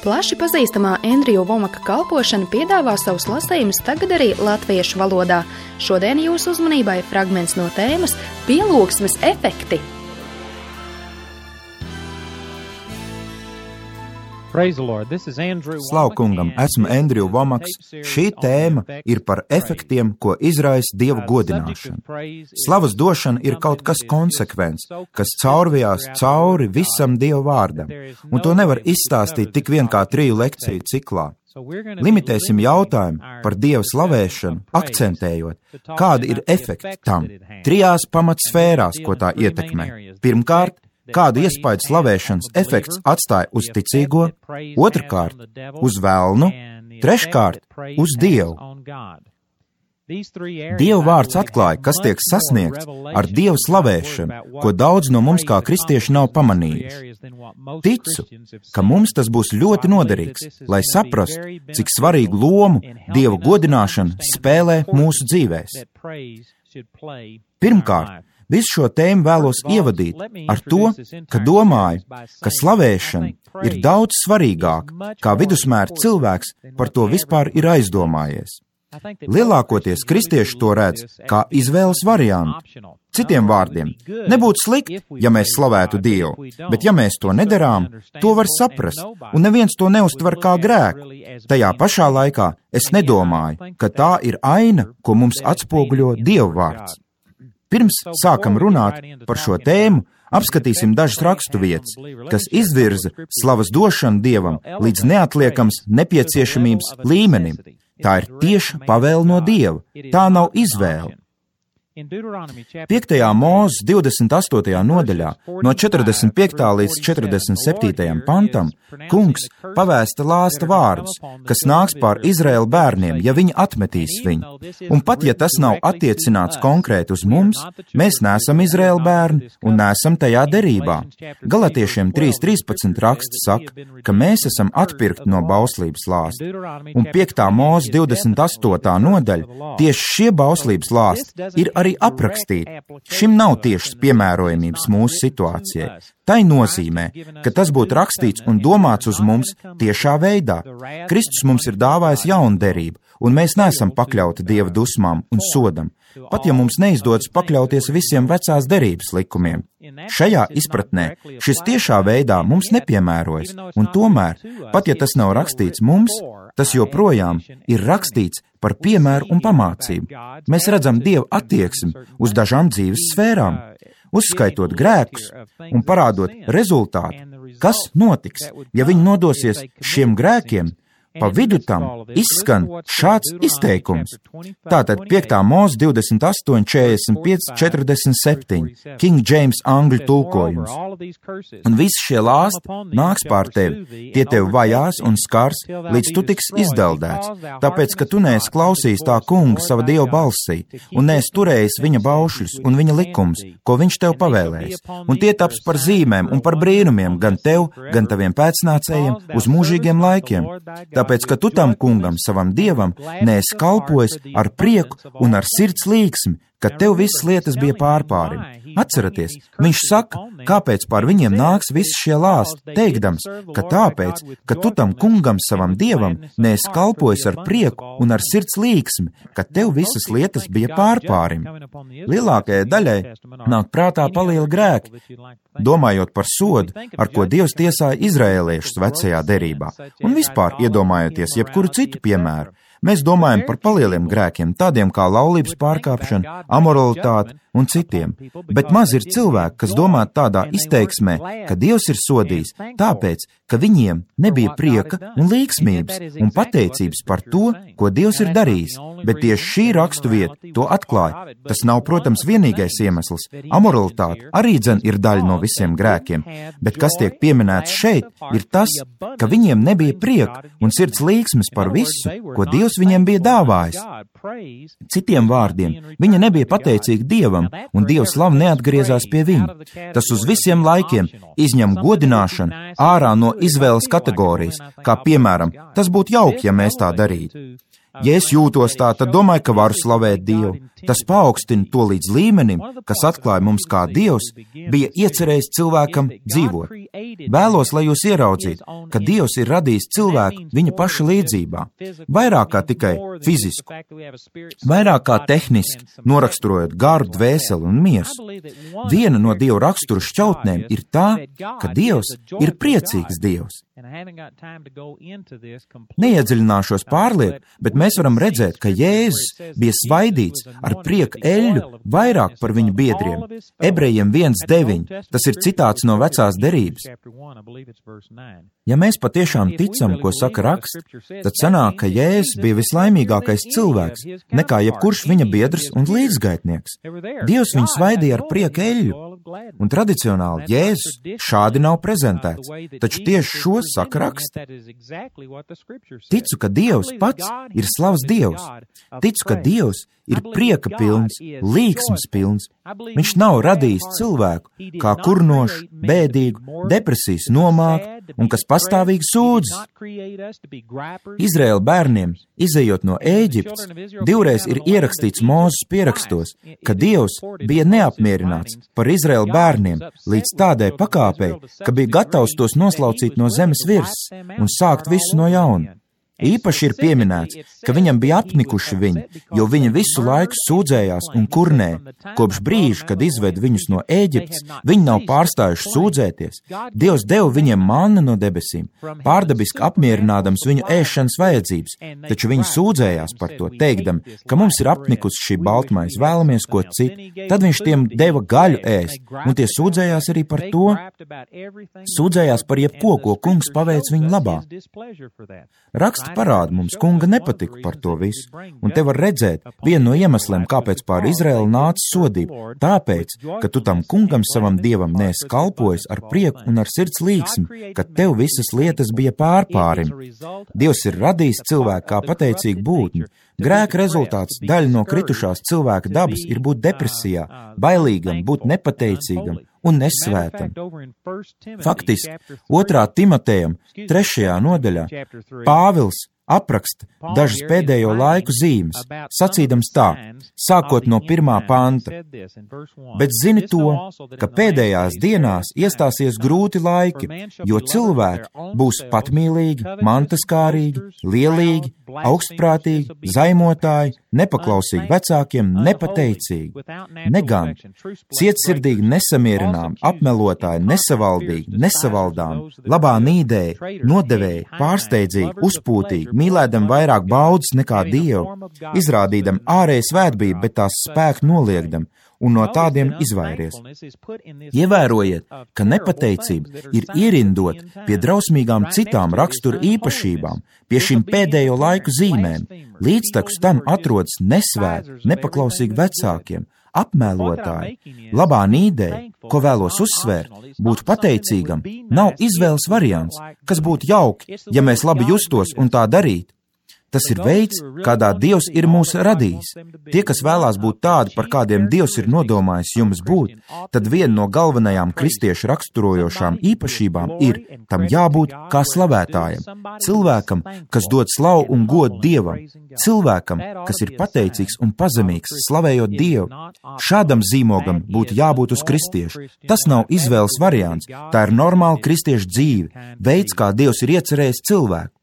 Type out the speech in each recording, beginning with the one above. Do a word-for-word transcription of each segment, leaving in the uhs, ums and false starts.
Plaši pazīstamā Endriju Vomaka kalpošana piedāvā savus lasījumus tagad arī latviešu valodā. Šodien jūsu uzmanībai fragments no tēmas Pielūgsmes efekti. Slavu kungam, esmu Endriju Vomaks. Šī tēma ir par efektiem, ko izraisa Dieva godināšana. Slavas došana ir kaut kas konsekvents, kas caurvijās cauri visam Dieva vārdam, un to nevar izstāstīt tik vien kā triju lekciju ciklā. Limitēsim jautājumu par Dieva slavēšanu, akcentējot, kādi ir efekti tam, trijās pamatsfērās, ko tā ietekmē. Pirmkārt, kādu iespaidu slavēšanas efekts atstāja uz ticīgo, otrkārt, uz velnu, treškārt, uz Dievu. Dieva vārds atklāja, kas tiek sasniegts ar Dieva slavēšanu, ko daudz no mums kā kristieši nav pamanījuši. Ticu, ka mums tas būs ļoti noderīgs, lai saprastu, cik svarīgu lomu Dieva godināšana spēlē mūsu dzīvēs. Pirmkārt, visu šo tēmu vēlos ievadīt ar to, ka domāju, ka slavēšana ir daudz svarīgāka, kā vidusmēra cilvēks par to vispār ir aizdomājies. Lielākoties kristieši to redz kā izvēles variantu. Citiem vārdiem, nebūtu slikti, ja mēs slavētu Dievu, bet ja mēs to nedarām, to var saprast, un neviens to neuztver kā grēku. Tajā pašā laikā es nedomāju, ka tā ir aina, ko mums atspoguļo Dieva vārds. Pirms sākam runāt par šo tēmu, apskatīsim dažas raksturvietas, kas izvirza slavas došanu Dievam līdz neatliekams nepieciešamības līmenim. Tā ir tieša pavēle no Dieva, tā nav izvēle. piektajā Mūzes divdesmit astotajā nodaļā, no četrdesmit piektā līdz četrdesmit septītajam pantam, kungs pavēsta lāsta vārdus, kas nāks pār Izraēla bērniem, ja viņi atmetīs viņu. Un pat, ja tas nav attiecināts konkrēti uz mums, mēs neesam Izraēla bērni un neesam tajā derībā. Galatiešiem trīs trīspadsmit raksts saka, ka mēs esam atpirkti no bauslības lāsta. Un piektā Mūzes divdesmit astotā nodaļa, tieši šie bauslības lāsti ir arī aprakstīti. Šim nav tiešas piemērojamības mūsu situācijai. Tai nozīmē, ka tas būtu rakstīts un domāts uz mums tiešā veidā. Kristus mums ir dāvājis jaunu derību, un mēs neesam pakļauti Dieva dusmām un sodam, pat ja mums neizdodas pakļauties visiem vecās derības likumiem. Šajā izpratnē šis tiešā veidā mums nepiemērojas, un tomēr, pat ja tas nav rakstīts mums, tas joprojām ir rakstīts par piemēru un pamācību. Mēs redzam Dieva attieksmi uz dažām dzīves sfērām, uzskaitot grēkus un parādot rezultātu, kas notiks, ja viņi nodosies šiem grēkiem. Pa vidu tam izskan šāds izteikums. Tātad piektā Mūzes divdesmit astoņi, četrdesmit pieci, četrdesmit septiņi, King James angļu tulkojums. Un visi šie lāsti nāks pār tevi, tie tevi vajās un skars, līdz tu tiks izdeldēts, tāpēc, ka tu neesi klausījis tā kunga sava Dieva balsī, un neesi turējis viņa baušļus un viņa likums, ko viņš tev pavēlējis. Un tie taps par zīmēm un par brīnumiem gan tev, gan taviem pēcnācējiem uz mūžīgiem laikiem. Tāpēc, ka tu tam kungam, savam Dievam, neesi kalpojis ar prieku un ar sirds līksmi, ka tev visas lietas bija pārpārim. Atceraties, viņš saka, kāpēc pār viņiem nāks visi šie lāsti, teikdams, ka tāpēc, ka tu tam kungam, savam Dievam, neesi kalpojis ar prieku un ar sirds līksmi, ka tev visas lietas bija pārpārim. Lielākajai daļai nāk prātā palieli grēki, domājot par sodu, ar ko Dievs tiesāja izraēliešus vecajā derībā, un vispār iedomājoties jebkuru citu piemēru. Mēs domājam par palieliem grēkiem, tādiem kā laulības pārkāpšana, amoralitāte un citiem, bet maz ir cilvēki, kas domā tādā izteiksmē, ka Dievs ir sodījis, tāpēc, ka viņiem nebija prieka un līksmības un pateicības par to, ko Dievs ir darījis, bet tieši šī raksturvieta to atklāja. Tas nav, protams, vienīgais iemesls. Amoralitāte arī dzen ir daļa no visiem grēkiem, bet kas tiek pieminēts šeit, ir tas, ka viņiem nebija prieka un sirds līksmes par visu, ko Dievs viņiem bija dāvājis. Citiem vārdiem, viņi nebija pateicīgi Dievam, un Dieva slava neatgriezās pie viņa. Tas uz visiem laikiem izņem godināšanu ārā no izvēles kategorijas, kā piemēram, tas būtu jauki, ja mēs tā darītu. Ja es jūtos tā, tad domāju, ka varu slavēt Dievu. Tas paaugstina to līdz līmenim, kas atklāja mums, kā Dievs bija iecerējis cilvēkam dzīvot. Vēlos, lai jūs ieraudzītu, ka Dievs ir radījis cilvēku viņa paša līdzībā, vairāk kā tikai fizisku, vairāk kā tehniski, noraksturojot garu, dvēseli un miesu. Viena no Dieva rakstura šķautnēm ir tā, ka Dievs ir priecīgs Dievs. Neiedziļināšos pārlieku, bet mēs varam redzēt, ka Jēzus bija svaidīts ar prieku eļļu vairāk par viņu biedriem. Ebrejiem viens deviņi, tas ir citāts no vecās derības. Ja mēs patiešām ticam, ko saka raksts, tad sanāk, ka Jēzus bija vislaimīgākais cilvēks, nekā jebkurš viņa biedrs un līdzgaitnieks. Dievs viņu svaidīja ar prieku eļļu, un tradicionāli Jēzus šādi nav prezentēts, taču tieši šo saka raksti. Ticu, ka Dievs pats ir slavs Dievs. Ticu, ka Dievs ir prieka pilns, līksmas pilns. Viņš nav radījis cilvēku kā kurnošu, bēdīgu, depresijas nomāku un kas pastāvīgi sūdzas. Izraēla bērniem, izejot no Ēģiptes, divreiz ir ierakstīts Mūzes pierakstos, ka Dievs bija neapmierināts par Izraēla bērniem līdz tādai pakāpei, ka bija gatavs tos noslaucīt no zemes virsmas un sākt visu no jauna. Īpaši ir pieminēts, ka viņam bija apnikuši viņi, jo viņi visu laiku sūdzējās un kurnēja. Kopš brīža, kad izved viņus no Ēģiptes, viņi nav pārstājuši sūdzēties. Dievs deva viņiem mannu no debesīm, pārdabiski apmierinādams viņu ēšanas vajadzības, taču viņi sūdzējās par to, teikdami, ka mums ir apnikusi šī baltmaize, vēlamies ko citu. Tad viņš tiem deva gaļu ēst, un tie sūdzējās arī par to, sūdzējās par jebko, ko kungs paveic viņu labā. Raksti parāda mums, kunga nepatika par to visu, un te var redzēt vienu no iemesliem, kāpēc pār Izraēlu nāca sodība, tāpēc, ka tu tam kungam savam dievam neesi kalpojis ar prieku un ar sirds līksmi, ka tev visas lietas bija pārpārim. Dievs ir radījis cilvēku kā pateicīgu būtni. Grēka rezultāts, daļa no kritušās cilvēka dabas ir būt depresijā, bailīgam, būt nepateicīgam un nesvētam. Faktiski, otrā Timotejam, trešajā nodaļā, Pāvils apraksta dažas pēdējo laiku zīmes, sacīdams tā, sākot no pirmā panta. Bet zini to, ka pēdējās dienās iestāsies grūti laiki, jo cilvēki būs patmīlīgi, mantaskārīgi, lielīgi, augstprātīgi, zaimotāji, nepaklausīgi vecākiem, nepateicīgi, negan, cietsirdīgi, nesamierināmi, apmelotāji, nesavaldīgi, nesavaldām, labā nīdēji, nodevēji, pārsteidzīgi, uzpūtīgi, mīlēdam vairāk baudas nekā Dievu, izrādīdam ārēju svētbību, bet tās spēku noliegdam, un no tādiem izvairies. Ievērojiet, ka nepateicība ir ierindot pie drausmīgām citām rakstura īpašībām, pie šīm pēdējo laiku zīmēm. Līdztekus tam atrodas nesvēti, nepaklausīgi vecākiem, apmēlotāji, labā nīdēji, ko vēlos uzsvērt, būt pateicīgam, nav izvēles variants, kas būtu jauki, ja mēs labi justos un tā darītu. Tas ir veids, kādā Dievs ir mūs radījis. Tie, kas vēlās būt tādi, par kādiem Dievs ir nodomājis jums būt, tad viena no galvenajām kristiešu raksturojošām īpašībām ir tam jābūt kā slavētājam, cilvēkam, kas dod slavu un godu Dievam, cilvēkam, kas ir pateicīgs un pazemīgs, slavējot Dievu. Šādam zīmogam būtu jābūt uz kristiešu. Tas nav izvēles variants, tā ir normāla kristiešu dzīve, veids, kā Dievs ir iecerējis cilvēku.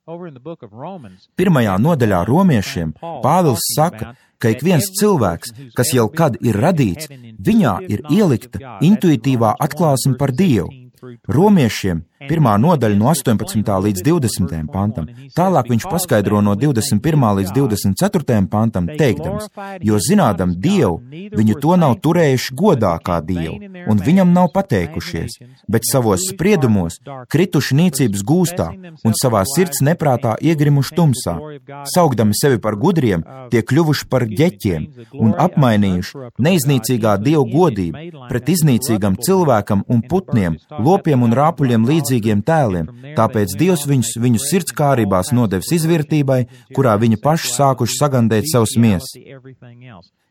Pirmajā nodaļā romiešiem Pāvils saka, ka ik viens cilvēks, kas jau kad ir radīts, viņā ir ielikta intuitīvā atklāsme par Dievu. Romiešiem pirmā nodaļa no astoņpadsmitā līdz divdesmitajam pantam. Tālāk viņš paskaidro no divdesmit pirmā līdz divdesmit ceturtajam pantam, teikdams, jo zinādam Dievu, viņu to nav turējuši godā kā Dievu, un viņam nav pateikušies, bet savos spriedumos krituši nīcības gūstā un savā sirds neprātā iegrimuši tumsā. Saugdami sevi par gudriem, tie kļuvuši par ģeķiem un apmainījuši neiznīcīgā Dievu godību pret iznīcīgam cilvēkam un putniem, lopiem un rāpuļiem līdzīgiem tēliem, tāpēc Dievs viņus viņu sirdskārībās nodevis izvirtībai, kurā viņi paši sākuši sagandēt savus miesas.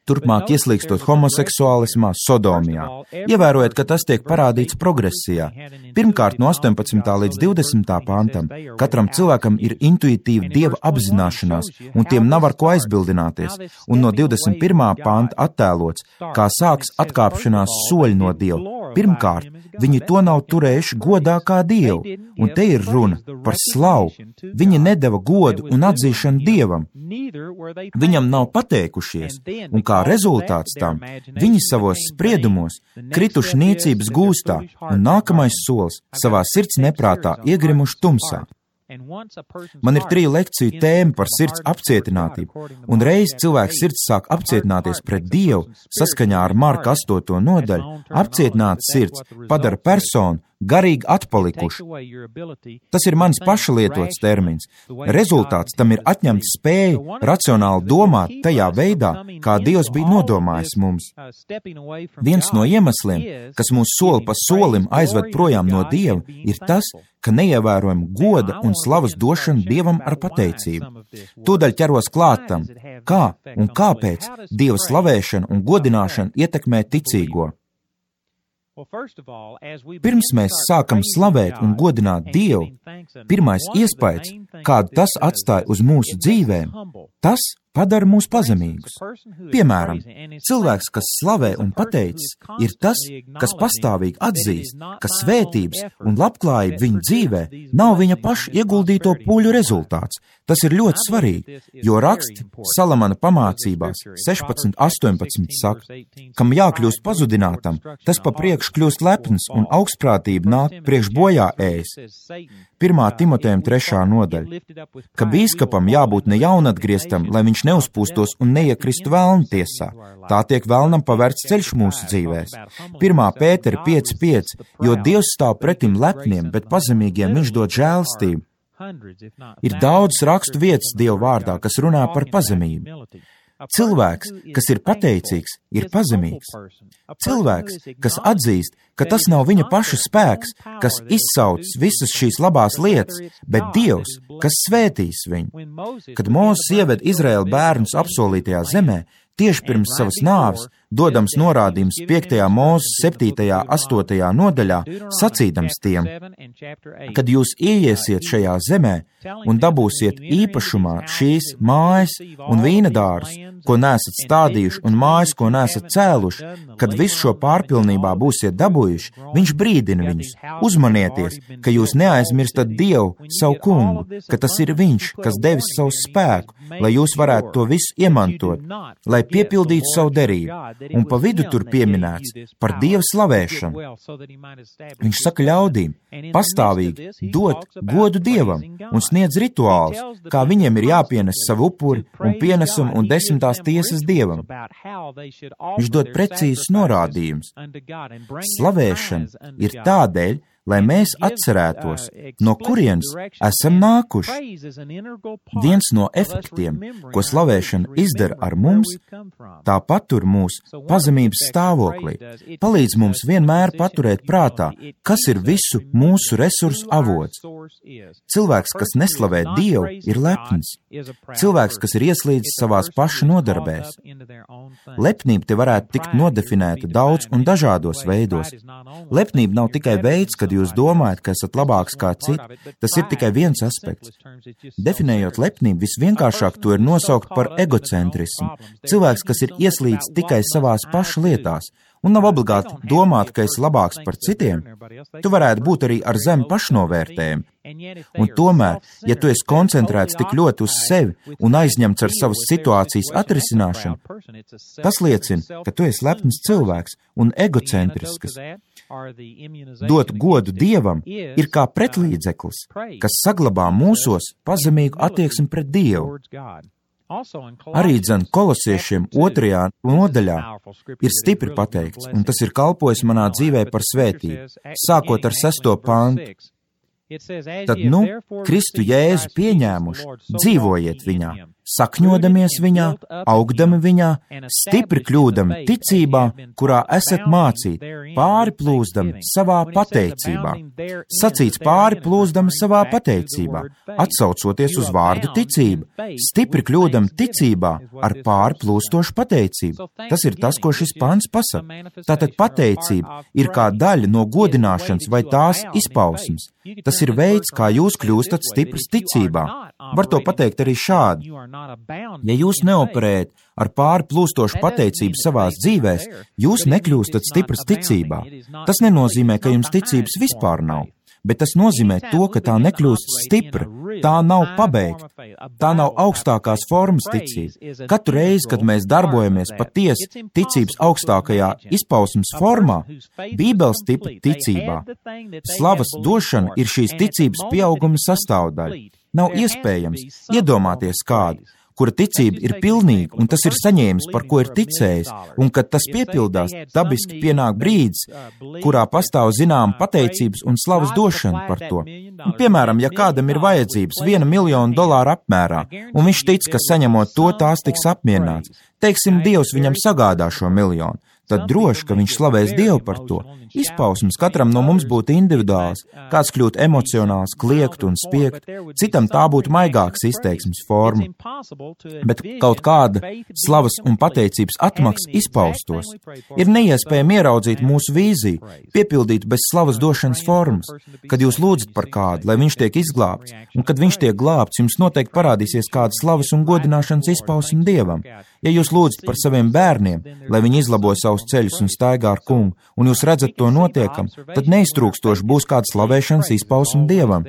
turpmāk ieslīgstot homoseksuālismā, sodomijā. Ievērojot, ka tas tiek parādīts progresijā. Pirmkārt, no astoņpadsmitā līdz divdesmitā pantam, katram cilvēkam ir intuitīva dieva apzināšanās, un tiem nav ar ko aizbildināties, un no divdesmit pirmā panta attēlots, kā sāks atkāpšanās soļi no dieva. Pirmkārt, viņi to nav turējuši godā kā dievu, un te ir runa par slavu. Viņi nedeva godu un atzīšanu dievam. Viņam nav pateikušies, un kā rezultāts tam, viņi savos spriedumos krituši niecības gūstā, un nākamais solis savā sirds neprātā iegrimuši tumsā. Man ir triju lekciju tēma par sirds apcietinātību, un reiz cilvēks sirds sāk apcietināties pret Dievu, saskaņā ar Marka astoto nodaļu, apcietināts sirds padara personu garīgi atpalikuši. Tas ir mans paša lietots termins. Rezultāts tam ir atņemta spēja racionāli domāt tajā veidā, kā Dievs bija nodomājis mums. Viens no iemesliem, kas mūs soli pa solim aizved projām no Dieva, ir tas, ka neievērojam goda un slavas došanu Dievam ar pateicību. Tūdaļ ķeros klātam, kā un kāpēc Dieva slavēšana un godināšana ietekmē ticīgo. Pirms mēs sākam slavēt un godināt Dievu, pirmais iespējas, kādu tas atstāja uz mūsu dzīvēm, tas padara mūs pazemīgus. Piemēram, cilvēks, kas slavē un pateicis, ir tas, kas pastāvīgi atzīst, ka svētības un labklājība viņa dzīvē nav viņa paša ieguldīto pūļu rezultāts. Tas ir ļoti svarīgi, jo raksti Salamana pamācībās sešpadsmit astoņpadsmit saka, kam jākļūst pazudinātam, tas pa priekš kļūst lepns un augstprātība nāk priekš bojā ēs. Pirmā Timotejam trešā nodaļa, ka bīskapam jābūt ne jaunatgrieztam, lai viņš neuzpūstos un neiekristu velna tiesā. Tā tiek velnam pavērts ceļš mūsu dzīvēs. Pirmā Pētera pieci pieci, jo Dievs stāv pretim lepniem, bet pazemīgiem viņš dod žēlstību. Ir daudz rakstu vietas Dieva vārdā, kas runā par pazemību. Cilvēks, kas ir pateicīgs, ir pazemīgs. Cilvēks, kas atzīst, ka tas nav viņa paša spēks, kas izsauc visas šīs labās lietas, bet Dievs, kas svētīs viņu. Kad Mūzes ieved Izraēla bērnus apsolītajā zemē, tieši pirms savas nāves, dodams norādījums piektajā Mūzes septītajā astotajā nodaļā, sacīdams tiem, kad jūs ieiesiet šajā zemē un dabūsiet īpašumā šīs mājas un vīnadārus, ko neesat stādījuši, un mājas, ko neesat cēluši, kad visu šo pārpilnībā būsiet dabūjuši, viņš brīdina viņus. Uzmanieties, ka jūs neaizmirstat Dievu, savu kungu, ka tas ir viņš, kas devis savu spēku, lai jūs varētu to visu iemantot, lai piepildītu savu derību. Un pa vidu tur pieminēts par Dieva slavēšanu. Viņš saka ļaudīm pastāvīgi dot godu Dievam un sniedz rituālus, kā viņiem ir jāpienes savu upuri un pienesumu un desmitās tiesas Dievam. Viņš dod precīzus norādījumus. Slavēšana ir tādēļ, lai mēs atcerētos, no kurienes esam nākuši. Viens no efektiem, ko slavēšana izdara ar mums, tā patur mūs pazemības stāvoklī, palīdz mums vienmēr paturēt prātā, kas ir visu mūsu resursu avots. Cilvēks, kas neslavē Dievu, ir lepns. Cilvēks, kas ir ieslīdis savās paša nodarbēs. Lepnība te varētu tikt nodefinēta daudz un dažādos veidos. Lepnība nav tikai veids, kad jūs domājat, ka esat labāks kā citi, tas ir tikai viens aspekts. Definējot lepnību, visvienkāršāk to ir nosaukt par egocentrismu. Cilvēks, kas ir ieslīdis tikai savās paša lietās, un nav obligāti domāt, ka esi labāks par citiem, tu varētu būt arī ar zemu pašnovērtējumu. Un tomēr, ja tu esi koncentrēts tik ļoti uz sevi un aizņemts ar savas situācijas atrisināšanu, tas liecina, ka tu esi lepns cilvēks un egocentrisks. Dot godu Dievam ir kā pretlīdzeklis, kas saglabā mūsos pazemīgu attieksmi pret Dievu. Arī dzen kolosiešiem otrajā nodaļā ir stipri pateikts, un tas ir kalpojis manā dzīvē par svētību, sākot ar sesto pantu. Tad, nu, Kristu Jēzu pieņēmuši, dzīvojiet viņā, sakņodamies viņā, augdami viņā, stipri kļūdami ticībā, kurā esat mācīti, pāri plūzdami savā pateicībā. Sacīts pāri plūzdami savā pateicībā, atsaucoties uz vārdu ticība, stipri kļūdami ticībā ar pāri plūstošu pateicību. Tas ir tas, ko šis pants pasaka. Tātad pateicība ir kā daļa no godināšanas vai tās izpausmes. Tas ir veids, kā jūs kļūstat stiprs ticībā. Var to pateikt arī šādi. Ja jūs neoperējat ar pāri plūstošu pateicību savās dzīvēs, jūs nekļūstat stiprs ticībā. Tas nenozīmē, ka jums ticības vispār nav, bet tas nozīmē to, ka tā nekļūst stipra, tā nav pabeigta, tā nav augstākās formas ticība. Katru reizi, kad mēs darbojamies patiesi ticības augstākajā izpausmes formā, Bībeles tipa ticībā, slavas došana ir šīs ticības pieauguma sastāvdaļa. Nav iespējams iedomāties kādu, kura ticība ir pilnīga, un tas ir saņēmis, par ko ir ticējis, un kad tas piepildās, dabiski pienāk brīdis, kurā pastāv zinām pateicības un slavas došana par to. Un, piemēram, ja kādam ir vajadzības viena miljona dolāru apmērā, un viņš tic, ka saņemot to, tās tiks apmierināts, teiksim, Dievs viņam sagādā šo miljonu, tad droši, ka viņš slavēs Dievu par to. Izpausmes katram no mums būtu individuāls, kāds kļūt emocionāls, kliegt un spiegt, citam tā būtu maigāks izteiksmes forma. Bet kaut kāda slavas un pateicības atmaksa izpaustos. Ir neiespējami ieraudzīt mūsu vīziju, piepildīt bez slavas došanas formas. Kad jūs lūdzat par kādu, lai viņš tiek izglābts, un kad viņš tiek glābts, jums noteikti parādīsies kāda slavas un godināšanas izpausme Dievam. Ja jūs lūdzat par saviem bērniem, lai viņi izlabo savus ceļus un staigā ar kungu, un jūs redzat to notiekam, tad neiztrūkstoši būs kāda slavēšanas izpausme Dievam.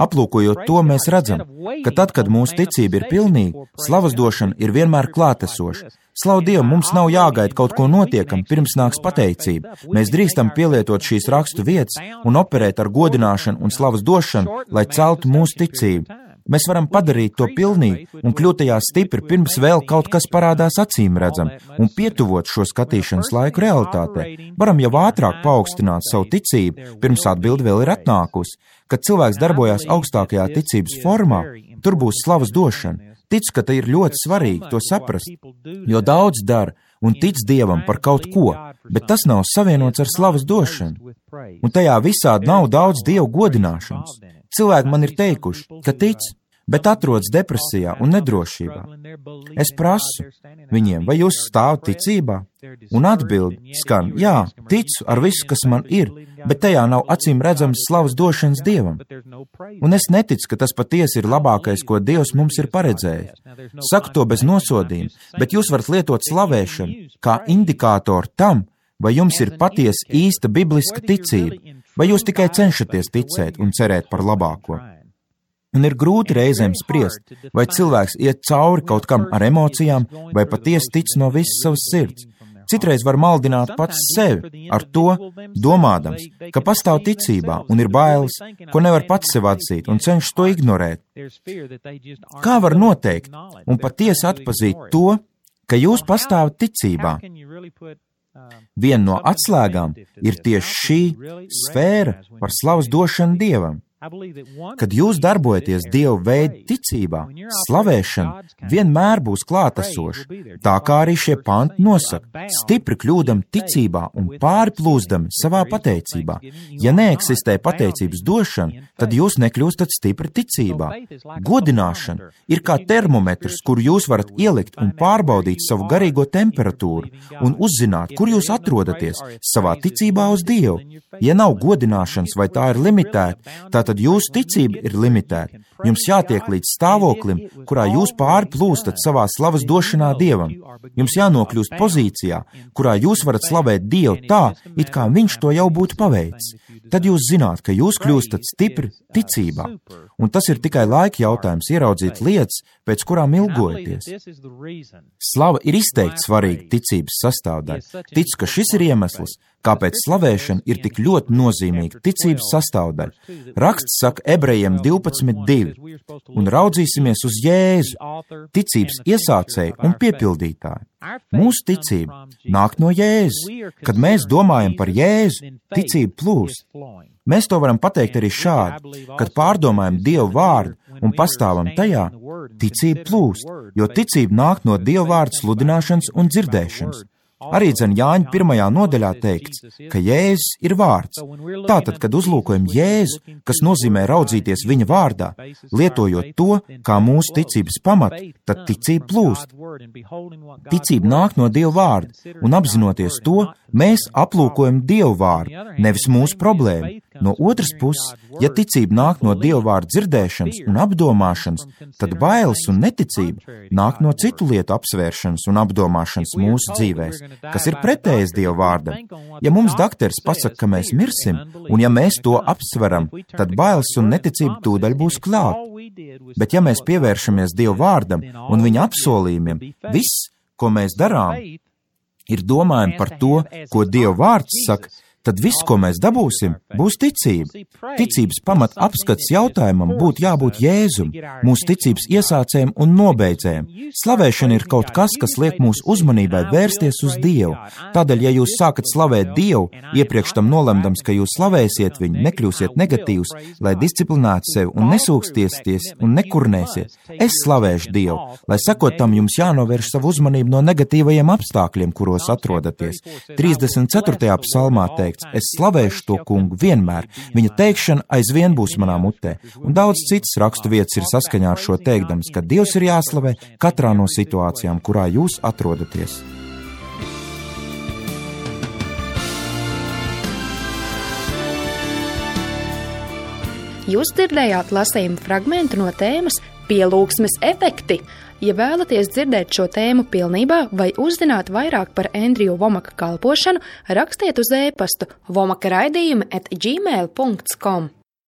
Aplūkojot to, mēs redzam, ka tad, kad mūsu ticība ir pilnīga, slavas došana ir vienmēr klātesoša. Slavu Dievu, mums nav jāgaida kaut ko notiekam, pirms nāks pateicība. Mēs drīkstam pielietot šīs rakstu vietas un operēt ar godināšanu un slavas došanu, lai celtu mūsu ticību. Mēs varam padarīt to pilnīgi un kļūt tajā stipri, pirms vēl kaut kas parādās acīm redzam, un pietuvot šo skatīšanas laiku realitātei. Varam jau ātrāk paaugstināt savu ticību, pirms atbilde vēl ir atnākusi. Kad cilvēks darbojās augstākajā ticības formā, tur būs slavas došana. Ticu, ka te ir ļoti svarīgi to saprast, jo daudz dara un tic Dievam par kaut ko, bet tas nav savienots ar slavas došanu. Un tajā visādi nav daudz Dievu godināšanas. Cilvēki man ir teikuši, ka tic, bet atrodas depresijā un nedrošībā. Es prasu viņiem, vai jūs stāvat ticībā? Un atbildi skan, jā, ticu ar visu, kas man ir, bet tajā nav acīm redzams slavas došanas Dievam. Un es neticu, ka tas patiesi ir labākais, ko Dievs mums ir paredzējis. Saku to bez nosodījuma, bet jūs varat lietot slavēšanu kā indikātoru tam, vai jums ir patiesi īsta bibliska ticība, vai jūs tikai cenšaties ticēt un cerēt par labāko. Un ir grūti reizēm spriest, vai cilvēks iet cauri kaut kam ar emocijām, vai patiesi tic no visas savas sirds. Citreiz var maldināt pats sevi ar to, domādams, ka pastāv ticībā un ir bailes, ko nevar pats sev atzīt un cenšas to ignorēt. Kā var noteikt un patiesi atpazīt to, ka jūs pastāvat ticībā? Viena no atslēgām ir tieši šī sfēra par slavas došanu Dievam. Kad jūs darbojaties Dieva veida ticībā, slavēšana vienmēr būs klātesoša, tā kā arī šie panti nosaka, stipri kļūdam ticībā un pārplūzdam savā pateicībā. Ja neeksistē pateicības došana, tad jūs nekļūstat stipri ticībā. Godināšana ir kā termometrs, kuru jūs varat ielikt un pārbaudīt savu garīgo temperatūru un uzzināt, kur jūs atrodaties savā ticībā uz Dievu. Ja nav godināšanas vai tā ir limitēta, tātad tad jūsu ticība ir limitēta. Jums jātiek līdz stāvoklim, kurā jūs pārplūstat savā slavas došanā Dievam. Jums jānokļūst pozīcijā, kurā jūs varat slavēt Dievu tā, it kā viņš to jau būtu paveicis. Tad jūs zināt, ka jūs kļūstat stipri ticībā. Un tas ir tikai laika jautājums ieraudzīt lietas, pēc kurām ilgojaties. Slava ir izteikti svarīga ticības sastāvdaļa. Ticu, ka šis ir iemesls, kāpēc slavēšana ir tik ļoti nozīmīga ticības sastāvdaļa. Raksts saka Ebrejiem divpadsmit divi, un raudzīsimies uz Jēzu, ticības iesācēju un piepildītāju. Mūsu ticība nāk no Jēzus. Kad mēs domājam par Jēzu, ticība plūst. Mēs to varam pateikt arī šādi, kad pārdomājam Dievu vārdu un pastāvam tajā, ticība plūst, jo ticība nāk no Dieva vārda sludināšanas un dzirdēšanas. Arī dzen Jāņa pirmajā nodaļā teikts, ka Jēzus ir vārds. Tātad, kad uzlūkojam Jēzu, kas nozīmē raudzīties viņa vārdā, lietojot to kā mūsu ticības pamatu, tad ticība plūst. Ticība nāk no Dieva vārda, un apzinoties to, mēs aplūkojam Dieva vārdu, nevis mūsu problēmu. No otras puses, ja ticība nāk no Dieva vārda dzirdēšanas un apdomāšanas, tad bailes un neticība nāk no citu lietu apsvēršanas un apdomāšanas mūsu dzīvēs, kas ir pretējs Dieva vārdam. Ja mums dakteris pasaka, ka mēs mirsim, un ja mēs to apsveram, tad bailes un neticība tūdaļ būs klāt. Bet ja mēs pievēršamies Dieva vārdam un viņa apsolījumiem, viss, ko mēs darām, ir domājam par to, ko Dieva vārds saka, tad viss, ko mēs dabūsim, būs ticība. Ticības pamat apskats jautājumam būtu jābūt Jēzum, mūsu ticības iesācējiem un nobeidzējiem. Slavēšana ir kaut kas, kas liek mūsu uzmanībai vērsties uz Dievu. Tādēļ, ja jūs sākat slavēt Dievu, iepriekš tam nolemdams, ka jūs slavēsiet viņu, nekļūsiet negatīvs, lai disciplinētu sevi un nesūkstiesties un nekurnēsiet. Es slavēšu Dievu, lai sakot tam jums jānovērš savu uzmanību no negatīvajiem apstākļiem, kuros atrodaties. trīsdesmit ceturtajā psalmā teikt, es slavēšu to kungu vienmēr, viņa teikšana aizvien būs manā mutē, un daudz citas rakstu vietas ir saskaņā ar šo teikdams, ka Dievs ir jāslavē katrā no situācijām, kurā jūs atrodaties. Jūs dzirdējāt lasījumu fragmentu no tēmas Pielūgsmes efekti. Ja vēlaties dzirdēt šo tēmu pilnībā vai uzzināt vairāk par Endriju Vomaka kalpošanu, rakstiet uz e-pastu vomaka raidījumi at gmail dot com.